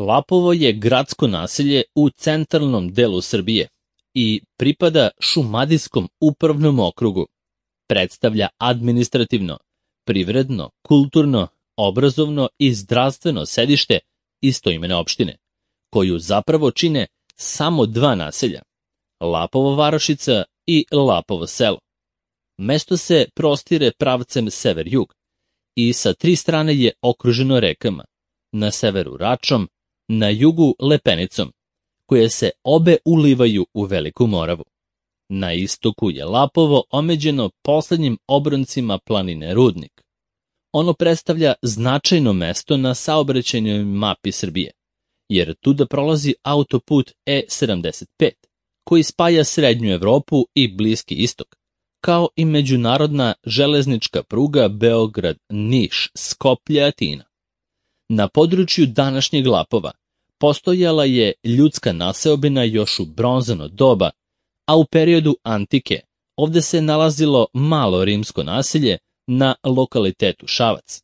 Lapovo je gradsko naselje u centralnom delu Srbije i pripada Šumadijskom upravnom okrugu. Predstavlja administrativno, privredno, kulturno, obrazovno i zdravstveno sedište istoimene opštine, koju zapravo čine samo dva naselja, Lapovo varošica i Lapovo selo. Mesto se prostire pravcem sever-jug i sa tri strane je okruženo rekama, na severu Račom, na jugu Lepenicom, koje se obe ulivaju u Veliku Moravu. Na istoku je Lapovo omeđeno poslednjim obroncima planine Rudnik. Ono predstavlja značajno mesto na saobraćajnoj mapi Srbije, jer tuda prolazi autoput E75, koji spaja Srednju Evropu i Bliski istok, kao i međunarodna železnička pruga Beograd-Niš-Skoplje-Atina. Na području današnjeg Lapova postojala je ljudska naseobina još u bronzano doba, a u periodu antike ovde se nalazilo malo rimsko naselje na lokalitetu Šabac.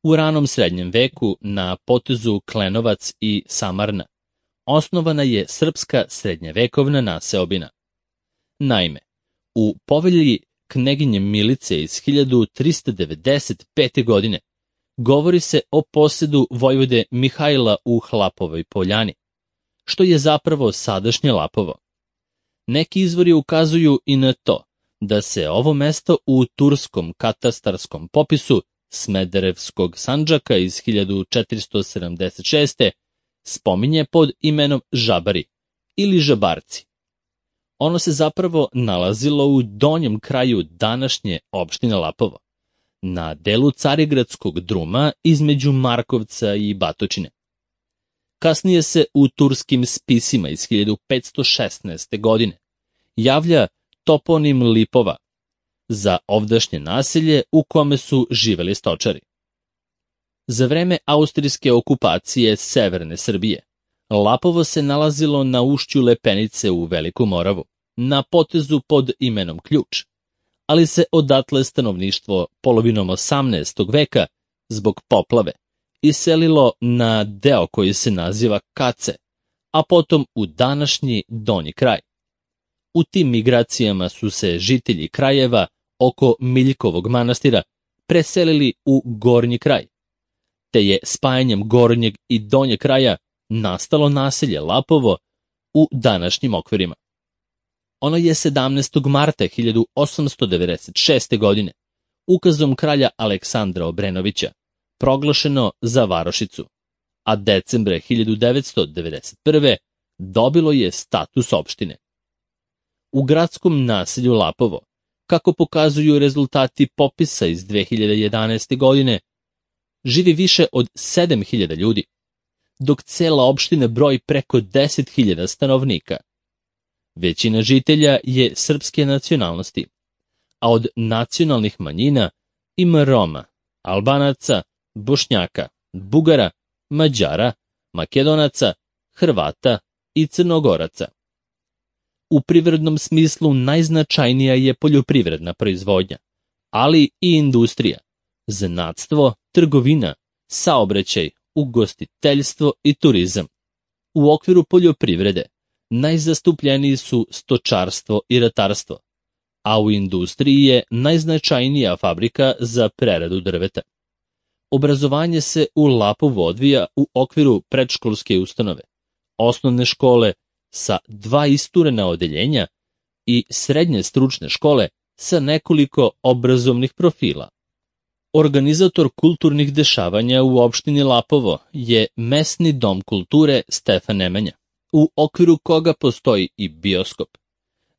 U ranom srednjem veku na potezu Klenovac i Samarna osnovana je srpska srednjevekovna naseobina. Naime, u povelji kneginje Milice iz 1395. godine govori se o posedu vojvode Mihajla u Hlapovoj Poljani, što je zapravo sadašnje Lapovo. Neki izvori ukazuju i na to da se ovo mesto u turskom katastarskom popisu Smederevskog Sandžaka iz 1476. spominje pod imenom Žabari ili Žabarci. Ono se zapravo nalazilo u donjem kraju današnje opštine Lapovo, na delu Carigradskog druma između Markovca i Batočine. Kasnije se u turskim spisima iz 1516. godine javlja toponim Lipova za ovdašnje naselje u kome su živeli stočari. Za vreme austrijske okupacije severne Srbije, Lapovo se nalazilo na ušću Lepenice u Veliku Moravu, na potezu pod imenom Ključ, ali se odatle stanovništvo polovinom 18. veka zbog poplave iselilo na deo koji se naziva Kace, a potom u današnji donji kraj. U tim migracijama su se žitelji krajeva oko Miljkovog manastira preselili u gornji kraj, te je spajanjem gornjeg i donjeg kraja nastalo naselje Lapovo u današnjim okvirima. Ono je 17. marta 1896. godine ukazom kralja Aleksandra Obrenovića proglašeno za varošicu, a decembra 1991. dobilo je status opštine. U gradskom naselju Lapovo, kako pokazuju rezultati popisa iz 2011. godine, živi više od 7.000 ljudi, dok cela opština broji preko 10.000 stanovnika. Većina žitelja je srpske nacionalnosti, a od nacionalnih manjina ima Roma, Albanaca, Bošnjaka, Bugara, Mađara, Makedonaca, Hrvata i Crnogoraca. U privrednom smislu najznačajnija je poljoprivredna proizvodnja, ali i industrija, zanatstvo, trgovina, saobraćaj, ugostiteljstvo i turizam. U okviru poljoprivrede najzastupljeniji su stočarstvo i ratarstvo, a u industriji je najznačajnija fabrika za preradu drveta. Obrazovanje se u Lapovu odvija u okviru predškolske ustanove, osnovne škole sa 2 isturena odeljenja i srednje stručne škole sa nekoliko obrazovnih profila. Organizator kulturnih dešavanja u opštini Lapovo je Mesni dom kulture Stefan Nemanja, u okviru koga postoji i bioskop.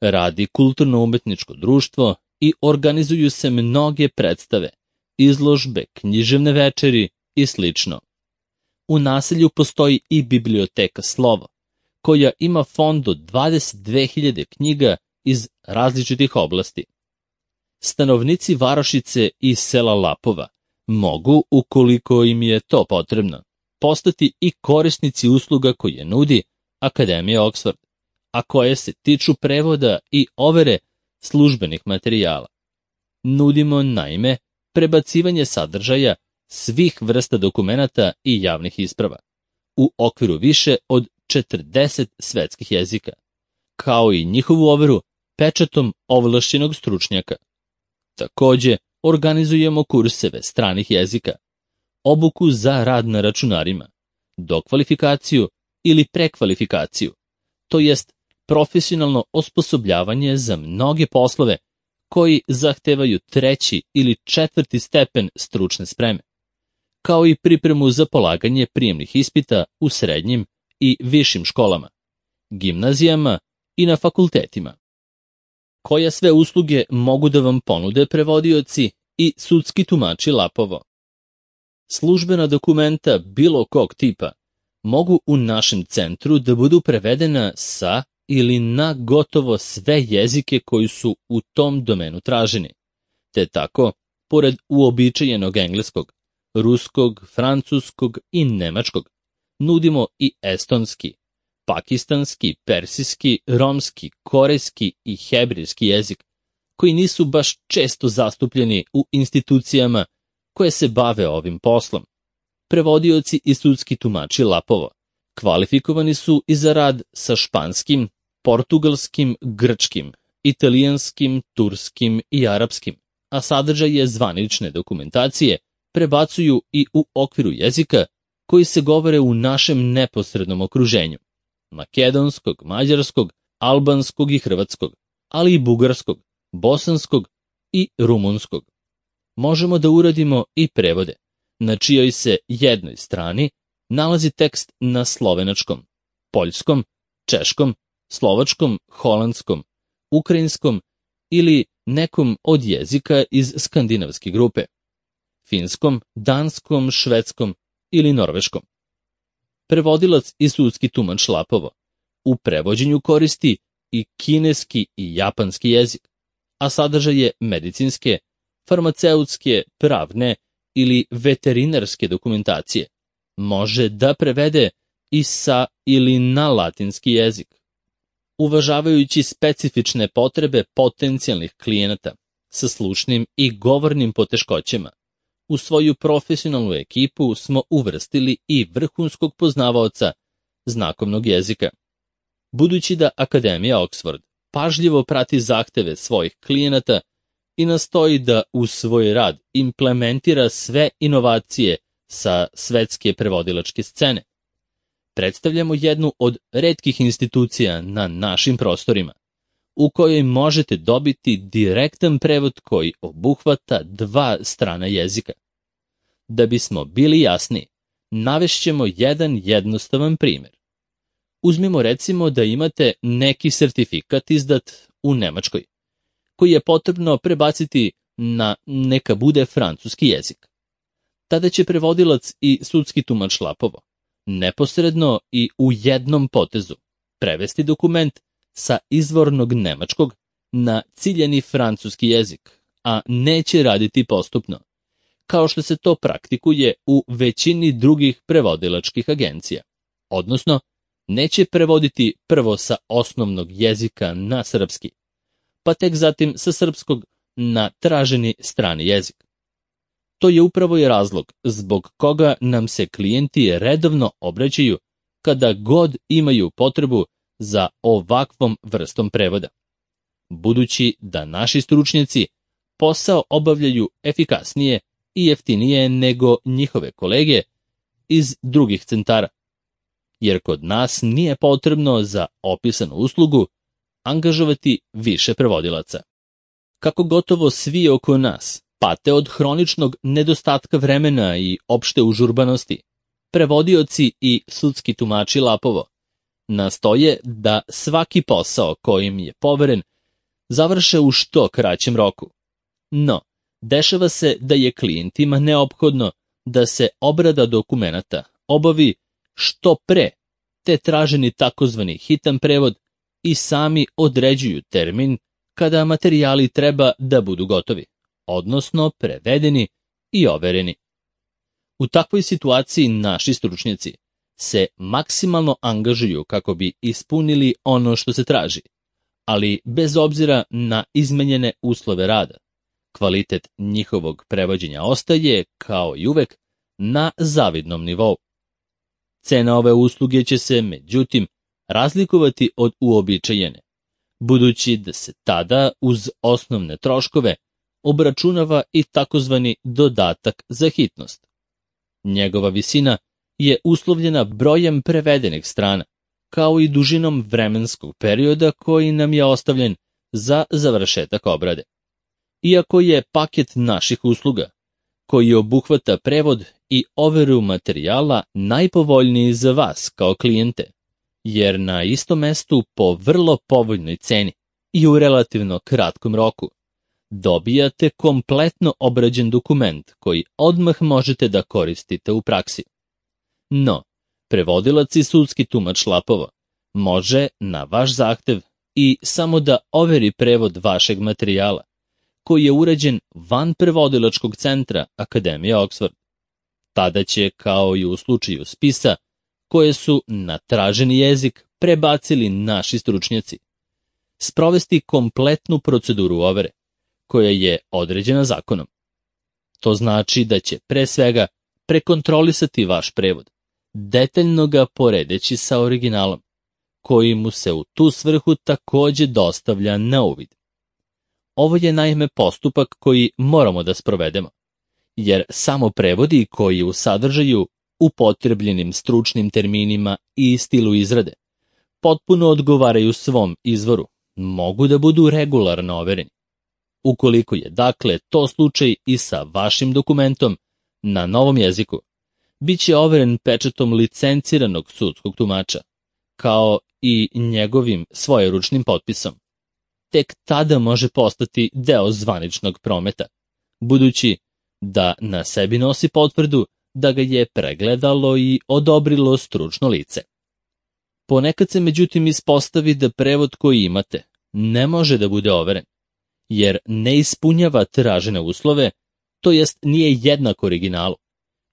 Radi kulturno-umetničko društvo i organizuju se mnoge predstave, izložbe, književne večeri i sl. U naselju postoji i biblioteka Slovo, koja ima fond od 22.000 knjiga iz različitih oblasti. Stanovnici varošice i sela Lapova mogu, ukoliko im je to potrebno, postati i korisnici usluga koje nudi Akademija Oxford, a koje se tiču prevoda i overe službenih materijala. Nudimo, naime, prebacivanje sadržaja svih vrsta dokumenata i javnih isprava, u okviru više od 40 svetskih jezika, kao i njihovu overu pečatom ovlašćenog stručnjaka. Takođe, organizujemo kurseve stranih jezika, obuku za rad na računarima, dokvalifikaciju ili prekvalifikaciju, to jest profesionalno osposobljavanje za mnoge poslove koji zahtevaju 3. ili 4. stepen stručne spreme, kao i pripremu za polaganje prijemnih ispita u srednjim i višim školama, gimnazijama i na fakultetima. Koje sve usluge mogu da vam ponude prevodioci i sudski tumači Lapovo? Službena dokumenta bilo kog tipa mogu u našem centru da budu prevedena sa ili na gotovo sve jezike koji su u tom domenu traženi, te tako, pored uobičajenog engleskog, ruskog, francuskog i nemačkog, nudimo i estonski, pakistanski, persijski, romski, korejski i hebrijski jezik, koji nisu baš često zastupljeni u institucijama koje se bave ovim poslom. Prevodioci i sudski tumači Lapovo kvalifikovani su i za rad sa španskim, portugalskim, grčkim, italijanskim, turskim i arapskim, a sadržaje zvanične dokumentacije prebacuju i u okviru jezika koji se govore u našem neposrednom okruženju: makedonskog, mađarskog, albanskog i hrvatskog, ali i bugarskog, bosanskog i rumunskog. Možemo da uradimo i prevode, na čijoj se jednoj strani nalazi tekst na slovenačkom, poljskom, češkom, slovačkom, holandskom, ukrajinskom ili nekom od jezika iz skandinavske grupe, finskom, danskom, švedskom ili norveškom. Prevodilac i sudski tumač Lapovo u prevođenju koristi i kineski i japanski jezik, a sadržaje medicinske, farmaceutske, pravne ili veterinarske dokumentacije može da prevede i sa ili na latinski jezik. Uvažavajući specifične potrebe potencijalnih klijenata sa slušnim i govornim poteškoćama, u svoju profesionalnu ekipu smo uvrstili i vrhunskog poznavaoca znakovnog jezika. Budući da Akademija Oxford pažljivo prati zahteve svojih klijenata i nastoji da u svoj rad implementira sve inovacije sa svetske prevodilačke scene, predstavljamo jednu od retkih institucija na našim prostorima, u kojoj možete dobiti direktan prevod koji obuhvata 2 strana jezika. Da bismo bili jasni, navešćemo jedan jednostavan primjer. Uzmimo recimo da imate neki sertifikat izdat u Nemačkoj, koji je potrebno prebaciti na neka bude francuski jezik. Tada će prevodilac i sudski tumač Lapovo neposredno i u jednom potezu prevesti dokument sa izvornog nemačkog na ciljani francuski jezik, a neće raditi postupno, kao što se to praktikuje u većini drugih prevodilačkih agencija. Odnosno, neće prevoditi prvo sa osnovnog jezika na srpski, pa tek zatim sa srpskog na traženi strani jezik. To je upravo i razlog zbog koga nam se klijenti redovno obraćaju kada god imaju potrebu za ovakvom vrstom prevoda. Budući da naši stručnjaci posao obavljaju efikasnije i jeftinije nego njihove kolege iz drugih centara, jer kod nas nije potrebno za opisanu uslugu angažovati više prevodilaca. Kako gotovo svi oko nas pate od hroničnog nedostatka vremena i opšte užurbanosti, prevodioci i sudski tumači Lapovo nastoje da svaki posao kojim je poveren završe u što kraćem roku. No, dešava se da je klijentima neophodno da se obrada dokumenata obavi što pre, te traženi takozvani hitan prevod i sami određuju termin kada materijali treba da budu gotovi, odnosno prevedeni i overeni. U takvoj situaciji naši stručnjaci se maksimalno angažuju kako bi ispunili ono što se traži, ali bez obzira na izmenjene uslove rada, kvalitet njihovog prevođenja ostaje, kao i uvek, na zavidnom nivou. Cena ove usluge će se, međutim, razlikovati od uobičajene, budući da se tada uz osnovne troškove obračunava i takozvani dodatak za hitnost. Njegova visina je uslovljena brojem prevedenih strana, kao i dužinom vremenskog perioda koji nam je ostavljen za završetak obrade. Iako je paket naših usluga, koji obuhvata prevod i overu materijala, najpovoljniji za vas kao klijente, jer na istom mestu po vrlo povoljnoj ceni i u relativno kratkom roku dobijate kompletno obrađen dokument koji odmah možete da koristite u praksi. No, prevodilac i sudski tumač Lapovo može na vaš zahtev i samo da overi prevod vašeg materijala, koji je urađen van prevodilačkog centra Akademije Oxford. Tada će, kao i u slučaju spisa, koje su na traženi jezik prebacili naši stručnjaci, sprovesti kompletnu proceduru overe, koja je određena zakonom. To znači da će pre svega prekontrolisati vaš prevod, detaljno ga poredeći sa originalom, koji mu se u tu svrhu takođe dostavlja na uvid. Ovo je naime postupak koji moramo da sprovedemo, jer samo prevodi koji u sadržaju, upotrebljenim stručnim terminima i stilu izrade potpuno odgovaraju svom izvoru, mogu da budu regularno overeni. Ukoliko je dakle to slučaj i sa vašim dokumentom na novom jeziku, bit će overen pečatom licenciranog sudskog tumača, kao i njegovim svojeručnim potpisom. Tek tada može postati deo zvaničnog prometa, budući da na sebi nosi potvrdu da ga je pregledalo i odobrilo stručno lice. Ponekad se međutim ispostavi da prevod koji imate ne može da bude overen, jer ne ispunjava tražene uslove, to jest nije jednak originalu,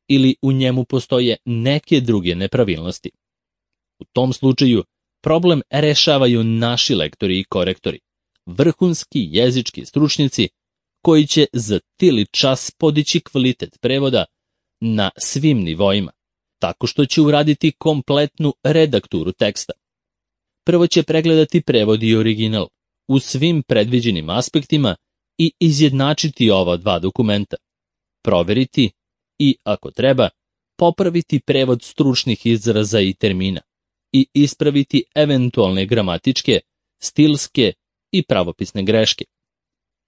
ili u njemu postoje neke druge nepravilnosti. U tom slučaju problem rešavaju naši lektori i korektori, vrhunski jezički stručnjaci koji će za tili čas podići kvalitet prevoda na svim nivoima, tako što će uraditi kompletnu redakturu teksta. Prvo će pregledati prevod i original u svim predviđenim aspektima i izjednačiti ova dva dokumenta, proveriti i, ako treba, popraviti prevod stručnih izraza i termina i ispraviti eventualne gramatičke, stilske i pravopisne greške.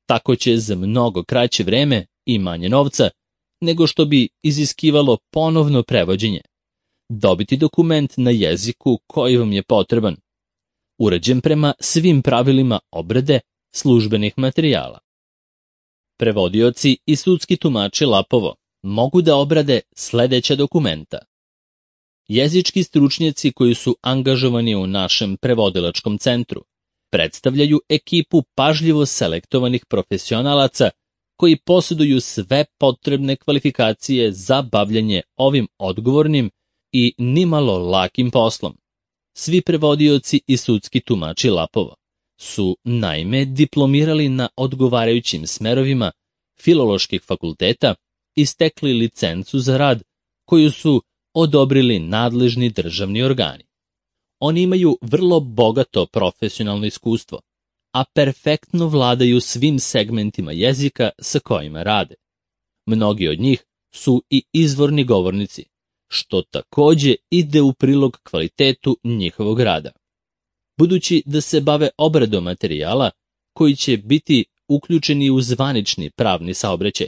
Tako će za mnogo kraće vreme i manje novca nego što bi iziskivalo ponovno prevođenje dobiti dokument na jeziku koji vam je potreban, urađen prema svim pravilima obrade službenih materijala. Prevodioci i sudski tumači Lapovo mogu da obrade sledeća dokumenta. Jezički stručnjaci koji su angažovani u našem prevodilačkom centru predstavljaju ekipu pažljivo selektovanih profesionalaca koji posjeduju sve potrebne kvalifikacije za bavljanje ovim odgovornim i nimalo lakim poslom. Svi prevodioci i sudski tumači Lapovo su naime diplomirali na odgovarajućim smerovima filoloških fakulteta i stekli licencu za rad koju su odobrili nadležni državni organi. Oni imaju vrlo bogato profesionalno iskustvo, a perfektno vladaju svim segmentima jezika sa kojima rade. Mnogi od njih su i izvorni govornici, što takođe ide u prilog kvalitetu njihovog rada. Budući da se bave obradom materijala koji će biti uključeni u zvanični pravni saobraćaj,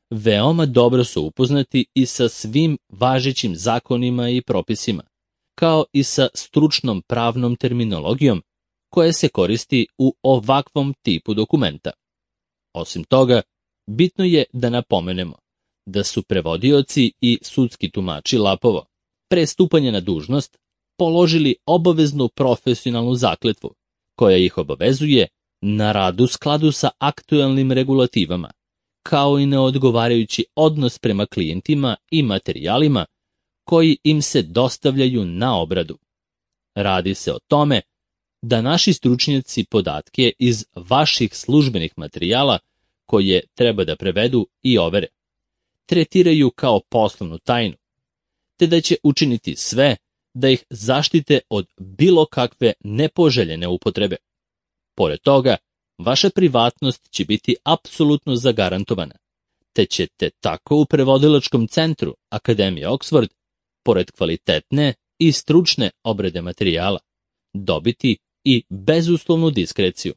veoma dobro su upoznati i sa svim važećim zakonima i propisima, kao i sa stručnom pravnom terminologijom koja se koristi u ovakvom tipu dokumenta. Osim toga, bitno je da napomenemo da su prevodioci i sudski tumači Lapovo pre stupanja na dužnost položili obaveznu profesionalnu zakletvu koja ih obavezuje na rad u skladu sa aktuelnim regulativama, kao i na odgovarajući odnos prema klijentima i materijalima koji im se dostavljaju na obradu. Radi se o tome da naši stručnjaci podatke iz vaših službenih materijala koje treba da prevedu i overe, tretiraju kao poslovnu tajnu, te da će učiniti sve da ih zaštite od bilo kakve nepoželjene upotrebe. Pored toga, vaša privatnost će biti apsolutno zagarantovana, te ćete tako u prevodilačkom centru Akademije Oxford, pored kvalitetne i stručne obrade materijala, dobiti i bezuslovnu diskreciju.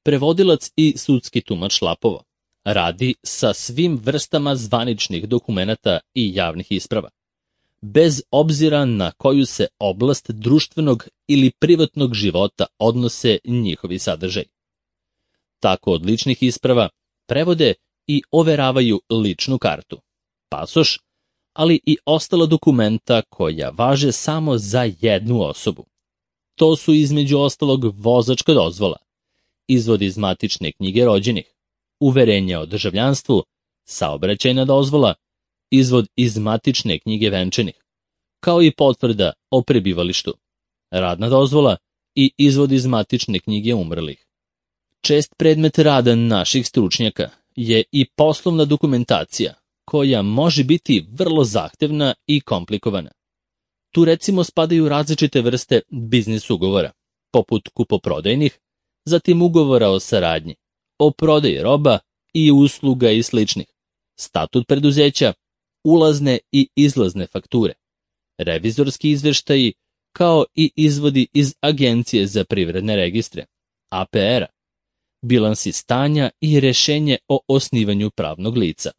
Prevodilac i sudski tumač Lapovo radi sa svim vrstama zvaničnih dokumenata i javnih isprava, bez obzira na koju se oblast društvenog ili privatnog života odnose njihovi sadržaj. Tako od ličnih isprava prevode i overavaju ličnu kartu, pasoš, ali i ostala dokumenta koja važe samo za jednu osobu. To su između ostalog vozačka dozvola, izvod iz matične knjige rođenih, uverenje o državljanstvu, saobraćajna dozvola, izvod iz matične knjige venčanih, kao i potvrda o prebivalištu, radna dozvola i izvod iz matične knjige umrlih. Čest predmet rada naših stručnjaka je i poslovna dokumentacija, koja može biti vrlo zahtevna i komplikovana. Tu recimo spadaju različite vrste biznis ugovora, poput kupoprodajnih, zatim ugovora o saradnji, o prodaji roba i usluga i sličnih, statut preduzeća, ulazne i izlazne fakture, revizorski izveštaji, kao i izvodi iz Agencije za privredne registre, APR-a, bilansi stanja i rešenje o osnivanju pravnog lica.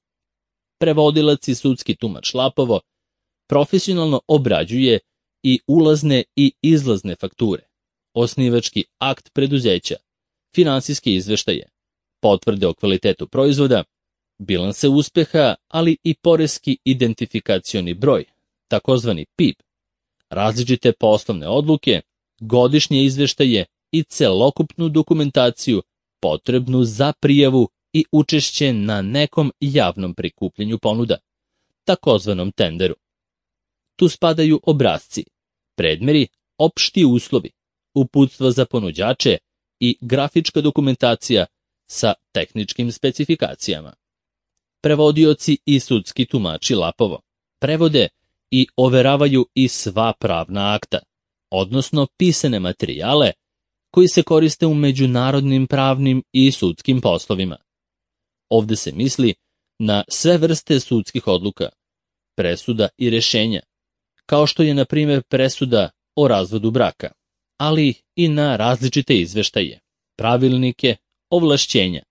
Prevodilac i sudski tumač Lapovo profesionalno obrađuje i ulazne i izlazne fakture, osnivački akt preduzeća, finansijske izveštaje, potvrde o kvalitetu proizvoda, bilanse uspeha, ali i poreski identifikacioni broj, takozvani PIB, različite poslovne odluke, godišnje izveštaje i celokupnu dokumentaciju potrebnu za prijavu i učešće na nekom javnom prikupljanju ponuda, takozvanom tenderu. Tu spadaju obrasci, predmeri, opšti uslovi, uputstva za ponuđače i grafička dokumentacija sa tehničkim specifikacijama. Prevodioci i sudski tumači Lapovo prevode i overavaju i sva pravna akta, odnosno pisane materijale koji se koriste u međunarodnim pravnim i sudskim poslovima. Ovde se misli na sve vrste sudskih odluka, presuda i rešenja, kao što je na primjer presuda o razvodu braka, ali i na različite izveštaje, pravilnike, ovlašćenja,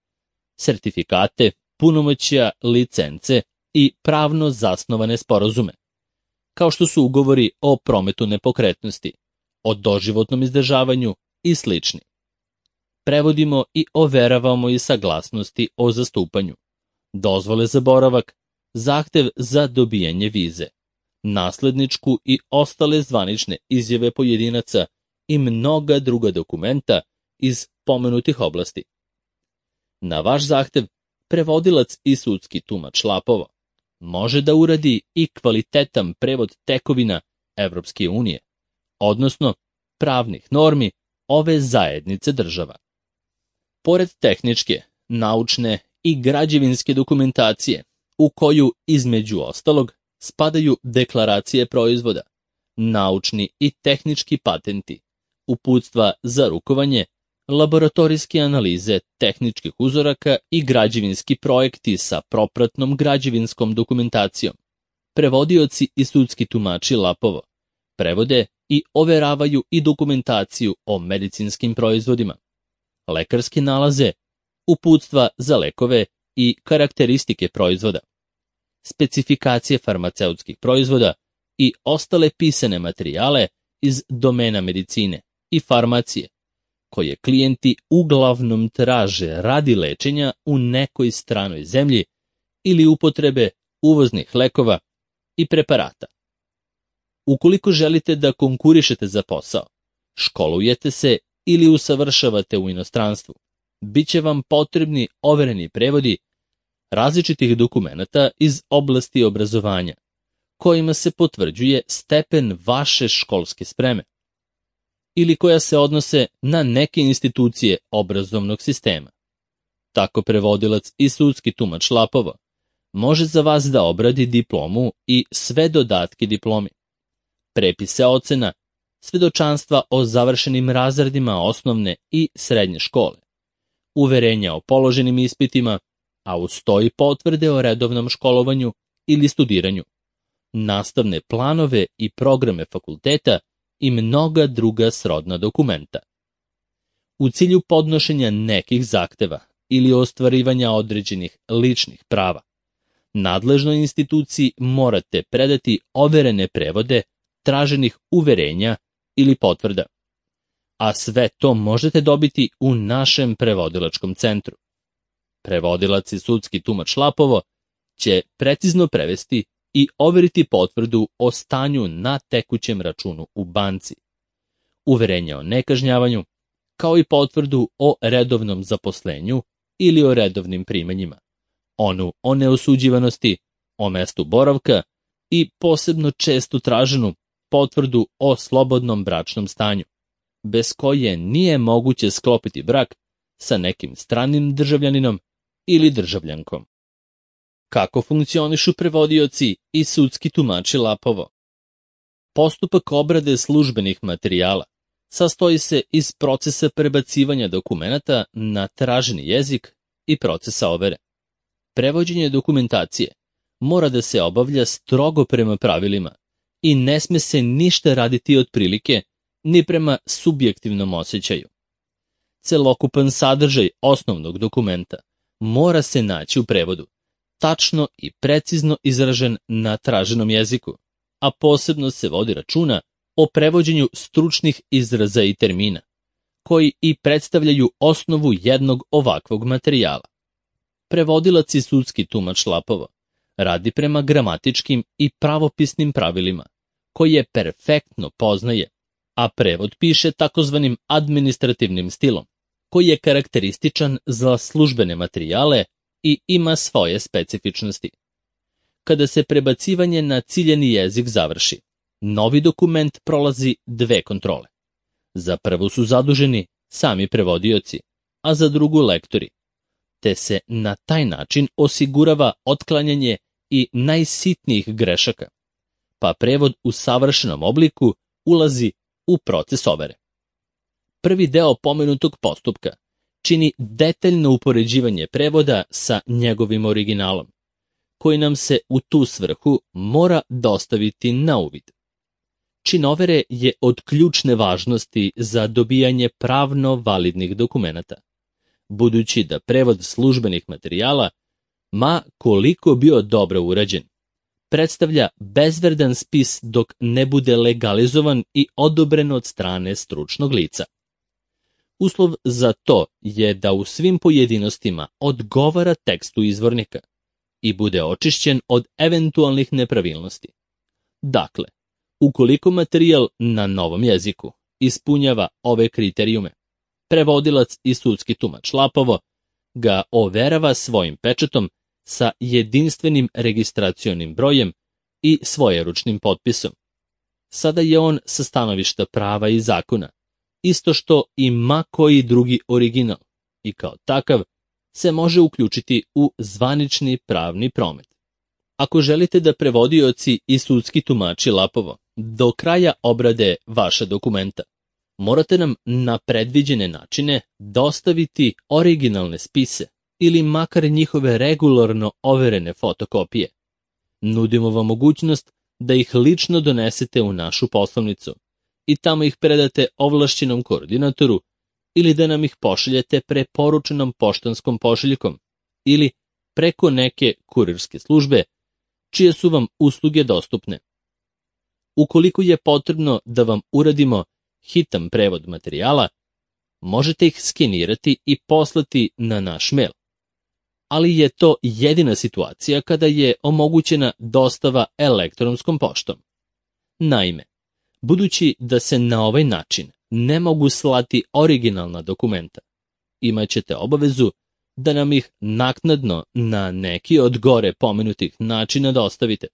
sertifikate, punomoćja, licence i pravno zasnovane sporazume, kao što su ugovori o prometu nepokretnosti, o doživotnom izdržavanju i slični. Prevodimo i overavamo i saglasnosti o zastupanju, dozvole za boravak, zahtev za dobijanje vize, nasledničku i ostale zvanične izjave pojedinaca i mnoga druga dokumenta iz pomenutih oblasti. Na vaš zahtev, prevodilac i sudski tumač Lapovo može da uradi i kvalitetan prevod tekovina Evropske unije, odnosno pravnih normi ove zajednice država. Pored tehničke, naučne i građevinske dokumentacije, u koju između ostalog spadaju deklaracije proizvoda, naučni i tehnički patenti, uputstva za rukovanje, laboratorijske analize tehničkih uzoraka i građevinski projekti sa propratnom građevinskom dokumentacijom. Prevodioci i sudski tumači Lapovo prevode i overavaju i dokumentaciju o medicinskim proizvodima, lekarske nalaze, uputstva za lekove i karakteristike proizvoda, specifikacije farmaceutskih proizvoda i ostale pisane materijale iz domena medicine i farmacije, koje klijenti uglavnom traže radi lečenja u nekoj stranoj zemlji ili upotrebe uvoznih lekova i preparata. Ukoliko želite da konkurišete za posao, školujete se ili usavršavate u inostranstvu, bit će vam potrebni overeni prevodi različitih dokumenata iz oblasti obrazovanja, kojima se potvrđuje stepen vaše školske spreme, ili koja se odnose na neke institucije obrazovnog sistema. Tako prevodilac i sudski tumač Lapovo može za vas da obradi diplomu i sve dodatke diplomi, prepise ocena, svedočanstva o završenim razredima osnovne i srednje škole, uverenja o položenim ispitima, a uz to i potvrde o redovnom školovanju ili studiranju, nastavne planove i programe fakulteta i mnoga druga srodna dokumenta. U cilju podnošenja nekih zahteva ili ostvarivanja određenih ličnih prava, nadležnoj instituciji morate predati overene prevode traženih uverenja ili potvrda. A sve to možete dobiti u našem prevodilačkom centru. Prevodilac i sudski tumač Lapovo će precizno prevesti i overiti potvrdu o stanju na tekućem računu u banci, uverenje o nekažnjavanju, kao i potvrdu o redovnom zaposlenju ili o redovnim primanjima, onu o neosuđivanosti, o mestu boravka i posebno često traženu potvrdu o slobodnom bračnom stanju, bez koje nije moguće sklopiti brak sa nekim stranim državljaninom ili državljankom. Kako funkcionišu prevodioci i sudski tumači Lapovo? Postupak obrade službenih materijala sastoji se iz procesa prebacivanja dokumenata na traženi jezik i procesa overe. Prevođenje dokumentacije mora da se obavlja strogo prema pravilima i ne sme se ništa raditi otprilike ni prema subjektivnom osjećaju. Celokupan sadržaj osnovnog dokumenta mora se naći u prevodu, tačno i precizno izražen na traženom jeziku, a posebno se vodi računa o prevođenju stručnih izraza i termina, koji i predstavljaju osnovu jednog ovakvog materijala. Prevodilac i sudski tumač Lapovo radi prema gramatičkim i pravopisnim pravilima, koje perfektno poznaje, a prevod piše takozvanim administrativnim stilom, koji je karakterističan za službene materijale i ima svoje specifičnosti. Kada se prebacivanje na ciljeni jezik završi, novi dokument prolazi dve kontrole. Za prvu su zaduženi sami prevodioci, a za drugu lektori, te se na taj način osigurava otklanjanje i najsitnijih grešaka, pa prevod u savršenom obliku ulazi u proces overe. Prvi deo pomenutog postupka čini detaljno upoređivanje prevoda sa njegovim originalom, koji nam se u tu svrhu mora dostaviti na uvid. Čin overe je od ključne važnosti za dobijanje pravno validnih dokumenata, budući da prevod službenih materijala, ma koliko bio dobro urađen, predstavlja bezvredan spis dok ne bude legalizovan i odobren od strane stručnog lica. Uslov za to je da u svim pojedinostima odgovara tekstu izvornika i bude očišćen od eventualnih nepravilnosti. Dakle, ukoliko materijal na novom jeziku ispunjava ove kriterijume, prevodilac i sudski tumač Lapovo ga overava svojim pečatom sa jedinstvenim registracionim brojem i svojeručnim potpisom. Sada je on sa stanovišta prava i zakona, isto što i ma koji drugi original, i kao takav se može uključiti u zvanični pravni promet. Ako želite da prevodioci i sudski tumači Lapovo do kraja obrade vaša dokumenta, morate nam na predviđene načine dostaviti originalne spise ili makar njihove regularno overene fotokopije. Nudimo vam mogućnost da ih lično donesete u našu poslovnicu i tamo ih predate ovlašćenom koordinatoru ili da nam ih pošaljete preporučenom poštanskom pošiljkom ili preko neke kurirske službe čije su vam usluge dostupne. Ukoliko je potrebno da vam uradimo hitan prevod materijala, možete ih skenirati i poslati na naš mail. Ali je to jedina situacija kada je omogućena dostava elektronskom poštom. Naime, budući da se na ovaj način ne mogu slati originalna dokumenta, imaćete obavezu da nam ih naknadno na neki od gore pomenutih načina dostavite,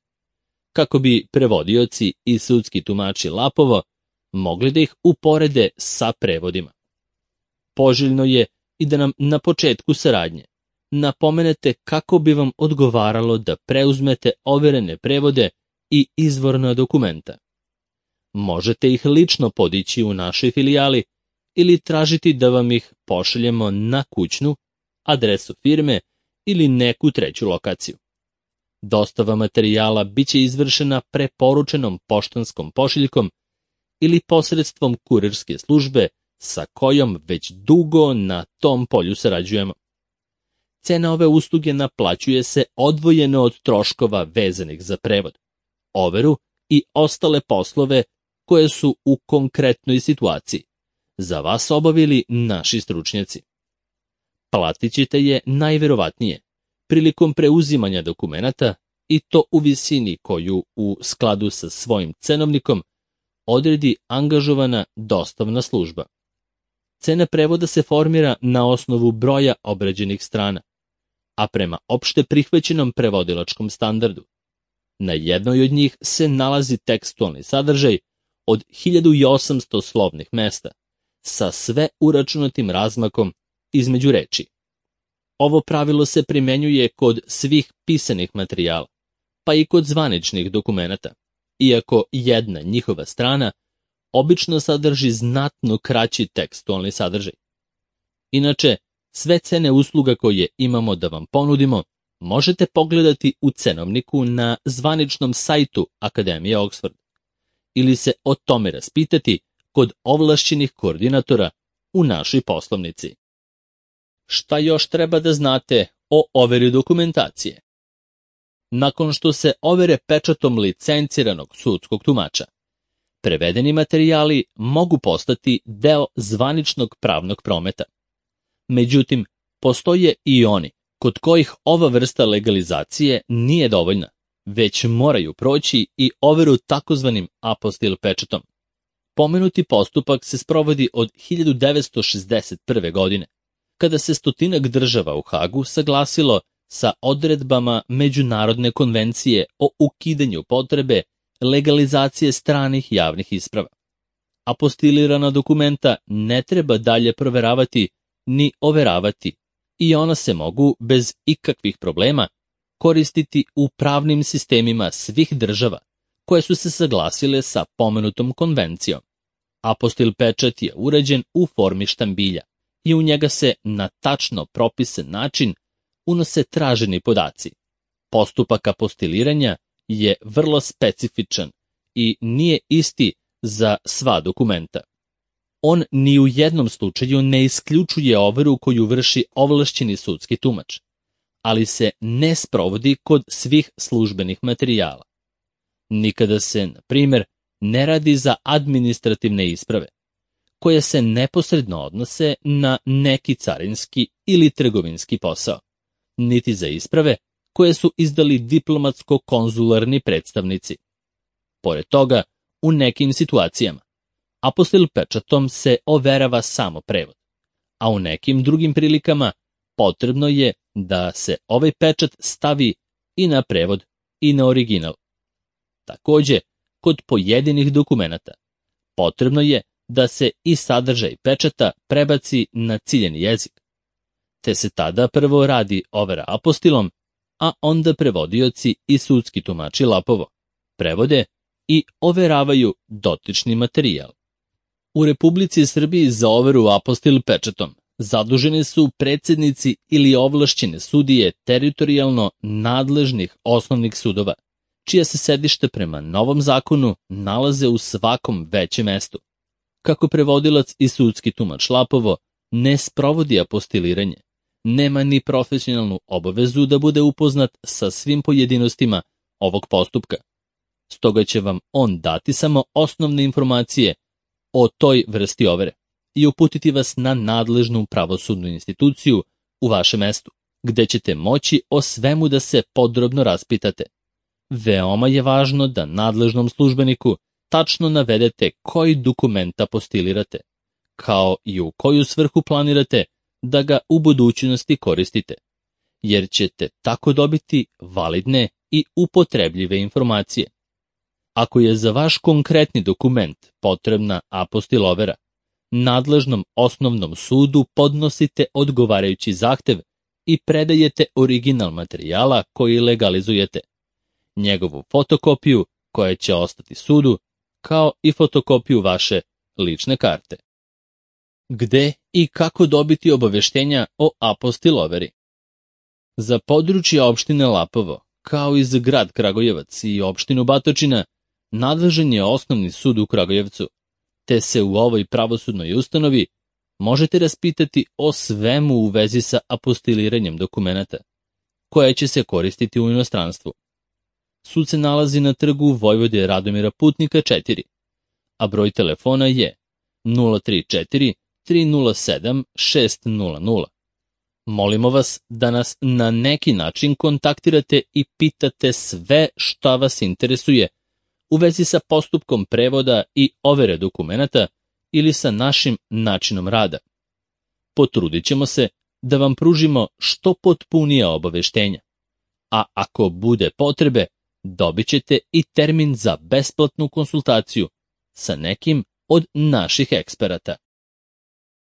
kako bi prevodioci i sudski tumači Lapovo mogli da ih uporede sa prevodima. Poželjno je i da nam na početku saradnje napomenete kako bi vam odgovaralo da preuzmete overene prevode i izvorna dokumenta. Možete ih lično podići u našoj filijali ili tražiti da vam ih pošaljemo na kućnu, adresu firme ili neku treću lokaciju. Dostava materijala biće izvršena preporučenom poštanskom pošiljkom ili posredstvom kurirske službe sa kojom već dugo na tom polju sarađujemo. Cena ove usluge naplaćuje se odvojeno od troškova vezanih za prevod, overu i ostale poslove koje su u konkretnoj situaciji za vas obavili naši stručnjaci. Platit ćete je najverovatnije prilikom preuzimanja dokumenata i to u visini koju u skladu sa svojim cenovnikom odredi angažovana dostavna služba. Cena prevoda se formira na osnovu broja obrađenih strana, a prema opšte prihvaćenom prevodilačkom standardu. Na jednoj od njih se nalazi tekstualni sadržaj od 1800 slovnih mesta, sa sve uračunatim razmakom između reči. Ovo pravilo se primenjuje kod svih pisanih materijala, pa i kod zvaničnih dokumenata, iako jedna njihova strana obično sadrži znatno kraći tekstualni sadržaj. Inače, sve cene usluga koje imamo da vam ponudimo možete pogledati u cenovniku na zvaničnom sajtu Akademije Oxford ili se o tome raspitati kod ovlašćenih koordinatora u našoj poslovnici. Šta još treba da znate o overi dokumentacije? Nakon što se overe pečatom licenciranog sudskog tumača, prevedeni materijali mogu postati deo zvaničnog pravnog prometa. Međutim, postoje i oni kod kojih ova vrsta legalizacije nije dovoljna, već moraju proći i overu takozvanim apostil pečatom. Pomenuti postupak se sprovodi od 1961. godine, kada se 100 država u Hagu saglasilo sa odredbama Međunarodne konvencije o ukidanju potrebe legalizacije stranih javnih isprava. Apostilirana dokumenta ne treba dalje proveravati ni overavati i ona se mogu bez ikakvih problema koristiti u pravnim sistemima svih država koje su se saglasile sa pomenutom konvencijom. Apostil pečat je urađen u formi štambilja i u njega se na tačno propisan način unose traženi podaci. Postupak apostiliranja je vrlo specifičan i nije isti za sva dokumenta. On ni u jednom slučaju ne isključuje overu koju vrši ovlašćeni sudski tumač, ali se ne sprovodi kod svih službenih materijala. Nikada se, na primjer, ne radi za administrativne isprave, koje se neposredno odnose na neki carinski ili trgovinski posao, niti za isprave koje su izdali diplomatsko-konzularni predstavnici. Pored toga, u nekim situacijama, apostil pečatom se overava samo prevod, a u nekim drugim prilikama potrebno je da se ovaj pečat stavi i na prevod i na original. Takođe, kod pojedinih dokumenata potrebno je da se i sadržaj pečata prebaci na ciljeni jezik, te se tada prvo radi overa apostilom, a onda prevodioci i sudski tumači lapovo prevode i overavaju dotični materijal. U Republici Srbiji za overu apostil pečatom zaduženi su predsednici ili ovlašćene sudije teritorijalno nadležnih osnovnih sudova, čija se sedište prema novom zakonu nalaze u svakom većem mestu. Kako prevodilac i sudski tumač lapovo ne sprovodi apostiliranje, nema ni profesionalnu obavezu da bude upoznat sa svim pojedinostima ovog postupka. Stoga će vam on dati samo osnovne informacije o toj vrsti overe i uputiti vas na nadležnu pravosudnu instituciju u vašem mestu, gde ćete moći o svemu da se podrobno raspitate. Veoma je važno da nadležnom službeniku tačno navedete koji dokument apostilirate, kao i u koju svrhu planirate da ga u budućnosti koristite, jer ćete tako dobiti validne i upotrebljive informacije. Ako je za vaš konkretni dokument potrebna apostil overa, nadležnom osnovnom sudu podnosite odgovarajući zahtev i predajete original materijala koji legalizujete, njegovu fotokopiju koja će ostati sudu, kao i fotokopiju vaše lične karte. Gde i kako dobiti obaveštenja o apostiloveri? Za područje opštine Lapovo, kao i za grad Kragujevac i opštinu Batočina, nadležan je Osnovni sud u Kragujevcu, te se u ovoj pravosudnoj ustanovi možete raspitati o svemu u vezi sa apostiliranjem dokumenata, koje će se koristiti u inostranstvu. Sud se nalazi na trgu Vojvode Radomira Putnika 4, a broj telefona je 034 307 600. Molimo vas da nas na neki način kontaktirate i pitate sve šta vas interesuje u vezi sa postupkom prevoda i overe dokumenata ili sa našim načinom rada. Potrudit ćemo se da vam pružimo što potpunija obaveštenja, a ako bude potrebe, dobit ćete i termin za besplatnu konsultaciju sa nekim od naših eksperata.